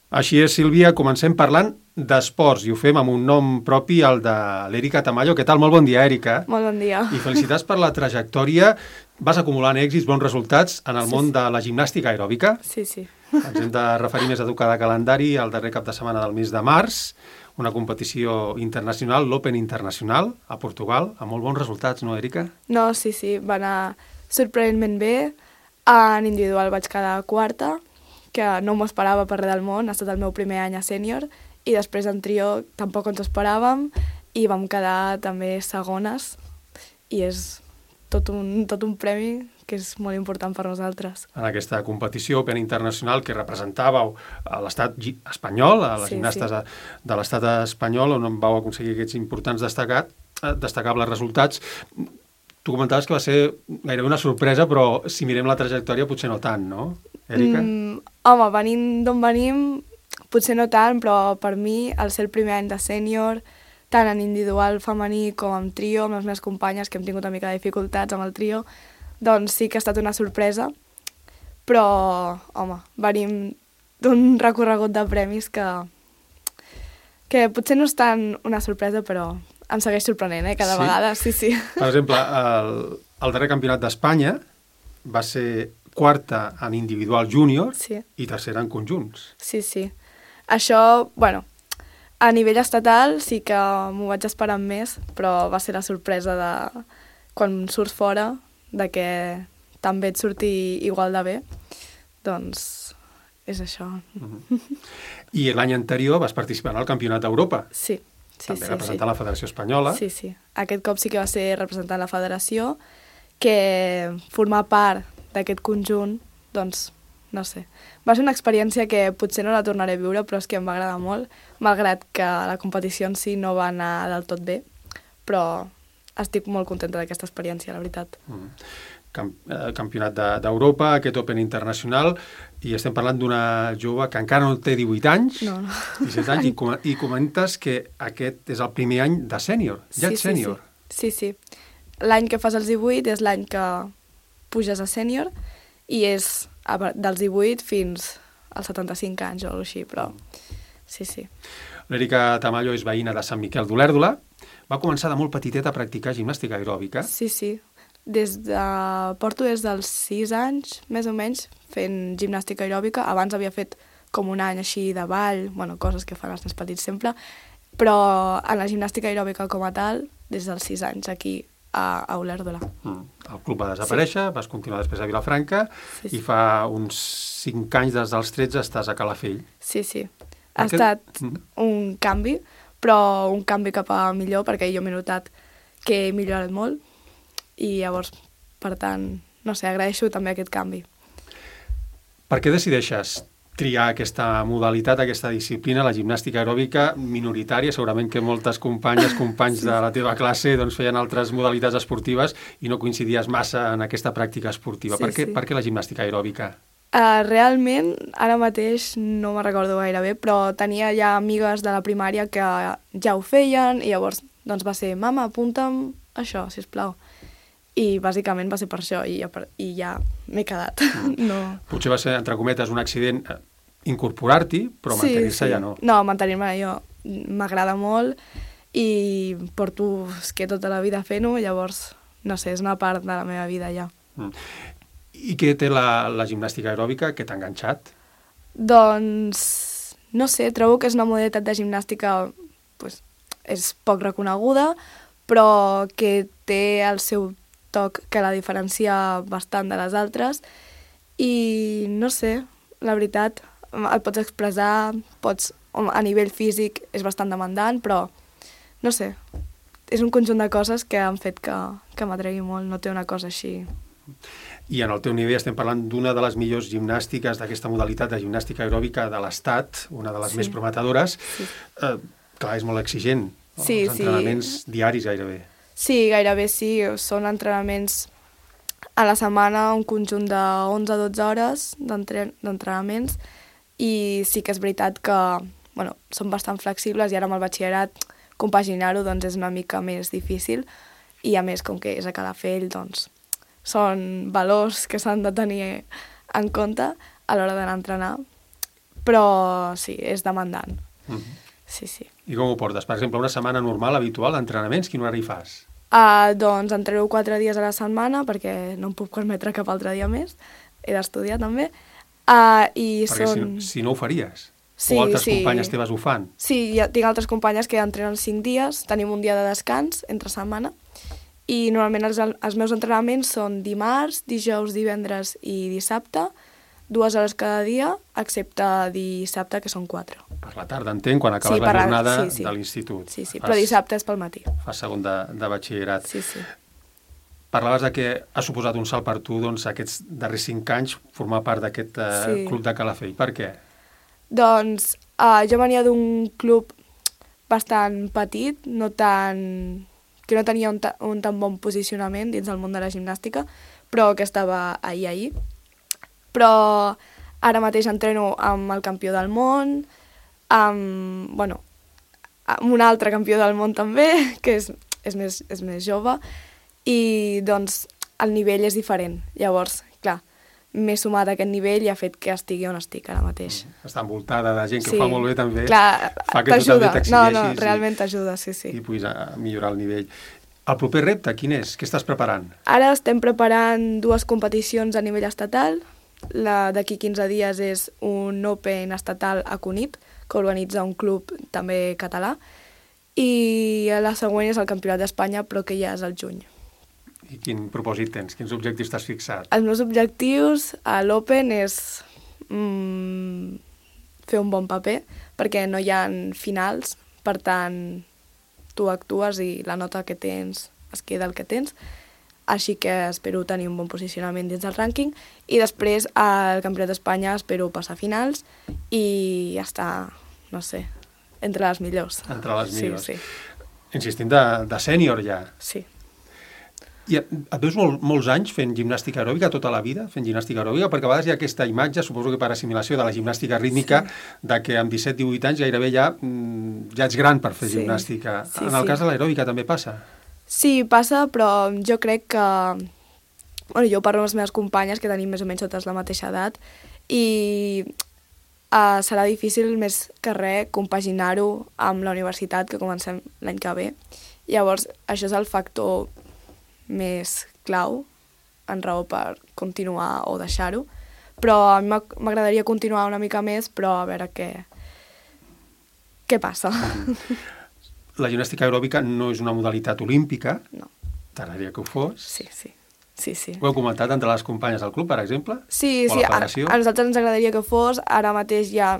Així és, Sílvia, comencem parlant d'esports i ho fem amb un nom propi, el de l'Èrica Tamayo. Què tal? Molt bon dia, Èrica. Molt bon dia. I felicitats per la trajectòria. Vas acumulant èxits, bons resultats en el món de la gimnàstica aeròbica. Sí, sí. Ens hem de referir més a cada calendari al darrer cap de setmana del mes de març, una competició internacional, l'Open Internacional, a Portugal, amb molt bons resultats, no, Èrica? No, sí, va anar sorprenentment bé. En individual vaig quedar quarta, que no m'ho esperava per res del món, ha estat el meu primer any a sènior, i després en trio tampoc ens ho esperàvem, i vam quedar també segones, i és tot un premi que és molt important per nosaltres. En aquesta competició Open Internacional que representàveu a l'estat espanyol, a les gimnastes de l'estat espanyol, on vau aconseguir aquests importants destacables resultats. Tu comentaves que va ser gairebé una sorpresa, però si mirem la trajectòria potser no tant, no, Èrica? Home, venint d'on venim, potser no tant, però per mi, al ser el primer any de sènior, tant en individual femení com en trio, amb les meves companyes, que hem tingut una mica de dificultats amb el trio, doncs sí que ha estat una sorpresa, però, home, venim d'un recorregut de premis que potser no és tant una sorpresa, però em segueix sorprenent, cada vegada, sí. Per exemple, el darrer campionat d'Espanya va ser quarta en individual júnior i tercera en conjunts. Sí. Això, bueno, a nivell estatal sí que m'ho vaig esperar més, però va ser la sorpresa de quan surts fora, de que també et surti igual de bé, doncs és això. I l'any anterior vas participar en el Campionat d'Europa. Sí. També representant la Federació Espanyola. Sí. Aquest cop sí que va ser representant la Federació, que formar part d'aquest conjunt, doncs, no sé. Va ser una experiència que potser no la tornaré a viure, però és que em va agradar molt, malgrat que la competició en si no va anar del tot bé, però estic molt contenta d'aquesta experiència, la veritat. Campionat d'Europa, aquest Open Internacional, i estem parlant d'una jove que encara no té 18 anys, 17 anys, i comentes que aquest és el primer any de sènior, ja ets sènior. Sí. L'any que fas els 18 és l'any que puges a sènior, i és dels 18 fins als 75 anys o alguna cosa així, però sí. L'Èrica Tamayo és veïna de Sant Miquel d'Olèrdola. Va començar de molt petiteta a practicar gimnàstica aeròbica. Sí. Porto des dels 6 anys, més o menys, fent gimnàstica aeròbica. Abans havia fet com un any així de ball, coses que fan els nens petits sempre, però en la gimnàstica aeròbica com a tal, des dels 6 anys aquí a Olèrdola. El club va desaparèixer, vas continuar després a Vilafranca, i fa uns 5 anys, des dels 13, estàs a Calafell. Sí. Ha estat un canvi, però un canvi cap a millor, perquè jo m'he notat que he millorat molt, i llavors, per tant, no sé, agraeixo també aquest canvi. Per què decideixes triar aquesta modalitat, aquesta disciplina, la gimnàstica aeròbica minoritària? Segurament que moltes companys de la teva classe feien altres modalitats esportives i no coincidies massa en aquesta pràctica esportiva. Per què la gimnàstica aeròbica? Realment, ara mateix no me'n recordo gaire bé, però tenia ja amigues de la primària que ja ho feien, i llavors doncs va ser, mama, apunta'm això, sisplau. I bàsicament va ser per això, i ja m'he quedat. No. Potser va ser, entre cometes, un accident incorporar-t'hi, però mantenir-se ja no. No, mantenir-me jo m'agrada molt i porto tota la vida fent-ho, llavors, no sé, és una part de la meva vida ja. I què té la gimnàstica aeròbica que t'ha enganxat? Doncs, no sé, trobo que és una modalitat de gimnàstica, és poc reconeguda, però que té el seu toc que la diferencia bastant de les altres, i no sé, la veritat, et pots expressar, a nivell físic és bastant demandant, però no sé, és un conjunt de coses que han fet que m'atregui molt, no té una cosa així. I en el teu nivell estem parlant d'una de les millors gimnàstiques d'aquesta modalitat de gimnàstica aeròbica de l'Estat, una de les més prometedores. Clar, és molt exigent, els entrenaments diaris gairebé. Sí, gairebé sí, són entrenaments a la setmana, un conjunt de 11 a 12 hores d'entrenaments, i sí que és veritat que són bastant flexibles, i ara amb el batxillerat compaginar-ho és una mica més difícil, i a més, com que és a Calafell, doncs són valors que s'han de tenir en compte a l'hora d'anar a entrenar, però sí, és demandant. Sí, sí. I com ho portes? Per exemple, una setmana normal, habitual, d'entrenaments, quin horari fas? Doncs entreno 4 dies a la setmana perquè no em puc permetre cap altre dia més. He d'estudiar també. Perquè si no ho faries. Sí, o altres companyes teves ho fan. Sí, tinc altres companyes que entrenen 5 dies, tenim un dia de descans entre setmana, i normalment els meus entrenaments són dimarts, dijous, divendres i dissabte, 2 hores cada dia, excepte dissabte, que són 4. Per la tarda, entenc, quan acabes la jornada de l'institut. Sí, però dissabte és pel matí. Fas segon de batxillerat. Sí, sí. Parlaves de que ha suposat un salt per tu, doncs, aquests darrers 5 anys, formar part d'aquest club de Calafell. Per què? Doncs jo venia d'un club bastant petit, que no tenia un tan bon posicionament dins del món de la gimnàstica, però que estava ahir. Però ara mateix entreno amb el campió del món, amb un altre campió del món també, que és més jove, i doncs el nivell és diferent. Llavors, clar, m'he sumat a aquest nivell i ha fet que estigui on estic ara mateix. Està envoltada de gent que ho fa molt bé també. Clar, fa que tu també t'exigeixis. No, realment t'ajuda, sí. I puguis millorar el nivell. El proper repte, quin és? Què estàs preparant? Ara estem preparant 2 competicions a nivell estatal. La d'aquí 15 dies és un Open estatal a Cunit, que organitza un club també català, i la següent és el Campionat d'Espanya, però que ja és al juny. I quin propòsit tens? Quins objectius t'has fixat? Els meus objectius a l'Open és fer un bon paper, perquè no hi ha finals, per tant, tu actues i la nota que tens es queda el que tens, així que espero tenir un bon posicionament dins del rànquing, i després al Campionat d'Espanya espero passar a finals i estar, no sé, entre les millors. Entre les millors. Sí. Insistint de sènior ja. Sí. I et veus molts anys fent gimnàstica aeròbica, tota la vida fent gimnàstica aeròbica? Perquè a vegades hi ha aquesta imatge, suposo que per assimilació de la gimnàstica rítmica, de que amb 17-18 anys gairebé ja ets gran per fer gimnàstica. En el cas de l'aeròbica també passa? Sí, passa, però jo crec que... jo parlo amb les meves companyes, que tenim més o menys totes la mateixa edat, i serà difícil més que res compaginar-ho amb la universitat, que comencem l'any que ve. Llavors, això és el factor més clau en raó per continuar o deixar-ho, però a mi m'agradaria continuar una mica més, però a veure què passa. La gimnàstica aeròbica no és una modalitat olímpica. No. T'agradaria que ho fos? Sí. Ho heu comentat entre les companyes del club, per exemple? Sí, a nosaltres ens agradaria que fos. Ara mateix hi ha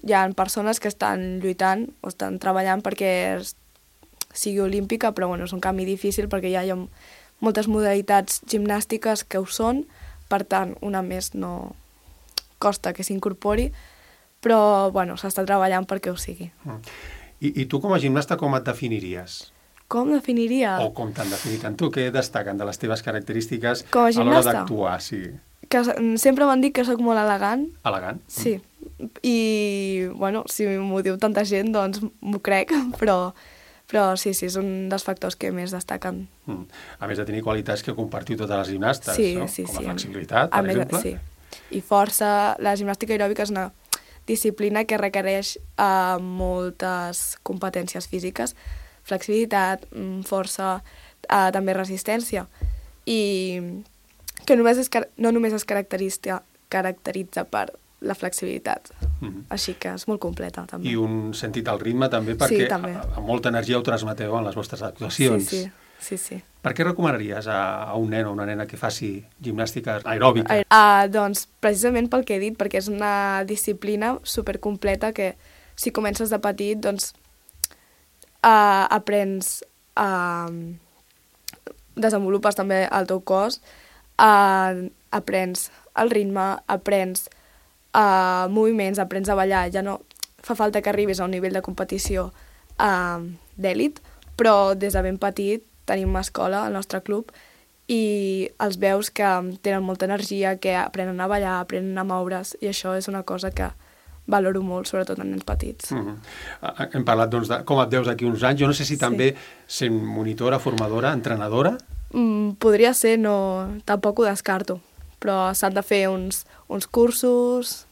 hi ha persones que estan lluitant o estan treballant perquè sigui olímpica, però és un canvi difícil perquè ja hi ha moltes modalitats gimnàstiques que ho són, per tant, una més no costa que s'incorpori, però s'està treballant perquè ho sigui. I tu com a gimnasta com et definiries? Com definiria? O com t'han definit en tu? Què destaquen de les teves característiques a l'hora d'actuar? Sí. Que sempre m'han dit que sóc molt elegant. Elegant? Sí. I, si m'ho diu tanta gent, doncs m'ho crec, però sí, és un dels factors que més destaquen. A més de tenir qualitats que compartiu totes les gimnastes, no? Com la flexibilitat, per exemple. Sí, i força. La gimnàstica aeròbica és una disciplina que requereix moltes competències físiques, flexibilitat, força, també resistència, i que no només es caracteritza per la flexibilitat. Així que és molt completa, també. I un sentit al ritme, també, perquè amb molta energia ho transmeteu en les vostres actuacions. Sí. Per què recomanaries a un nen o una nena que faci gimnàstica aeròbica? Doncs precisament pel que he dit, perquè és una disciplina supercompleta que si comences de petit, doncs aprens, desenvolupes també el teu cos, aprens el ritme, aprens moviments, aprens a ballar. Ja no fa falta que arribis a un nivell de competició d'èlit, però des de ben petit tenim una escola al nostre club i els veus que tenen molta energia, que aprenen a ballar, aprenen a moure's, i això és una cosa que valoro molt, sobretot en nens petits. Hem parlat doncs, de com et veus d'aquí uns anys. Jo no sé si també sent monitora, formadora, entrenadora? Podria ser, tampoc ho descarto, però s'han de fer uns cursos,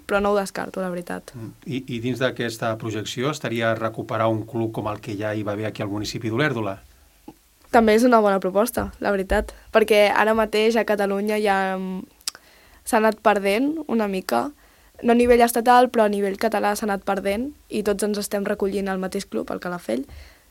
però no ho descarto, la veritat. I dins d'aquesta projecció estaria recuperar un club com el que ja hi va haver aquí al municipi d'Olèrdola? També és una bona proposta, la veritat, perquè ara mateix a Catalunya ja s'ha anat perdent una mica, no a nivell estatal, però a nivell català s'ha anat perdent i tots ens estem recollint al mateix club, al Calafell.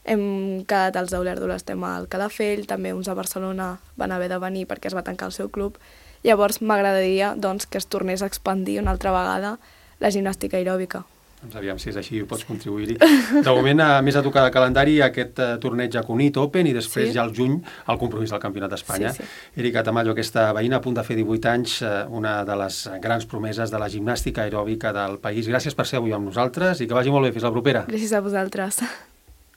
Hem quedat els d'Olèrdola, estem al Calafell, també uns a Barcelona van haver de venir perquè es va tancar el seu club. Llavors m'agradaria doncs, que es tornés a expandir una altra vegada la gimnàstica aeròbica. Doncs aviam si és així, pots contribuir-hi. De moment, a més a tocar de calendari, aquest torneig a Cunit Open i després ja al juny el compromís del Campionat d'Espanya. Erika Tamayo, aquesta veïna a punt de fer 18 anys, una de les grans promeses de la gimnàstica aeròbica del país. Gràcies per ser avui amb nosaltres i que vagi molt bé. Fins la propera. Gràcies a vosaltres.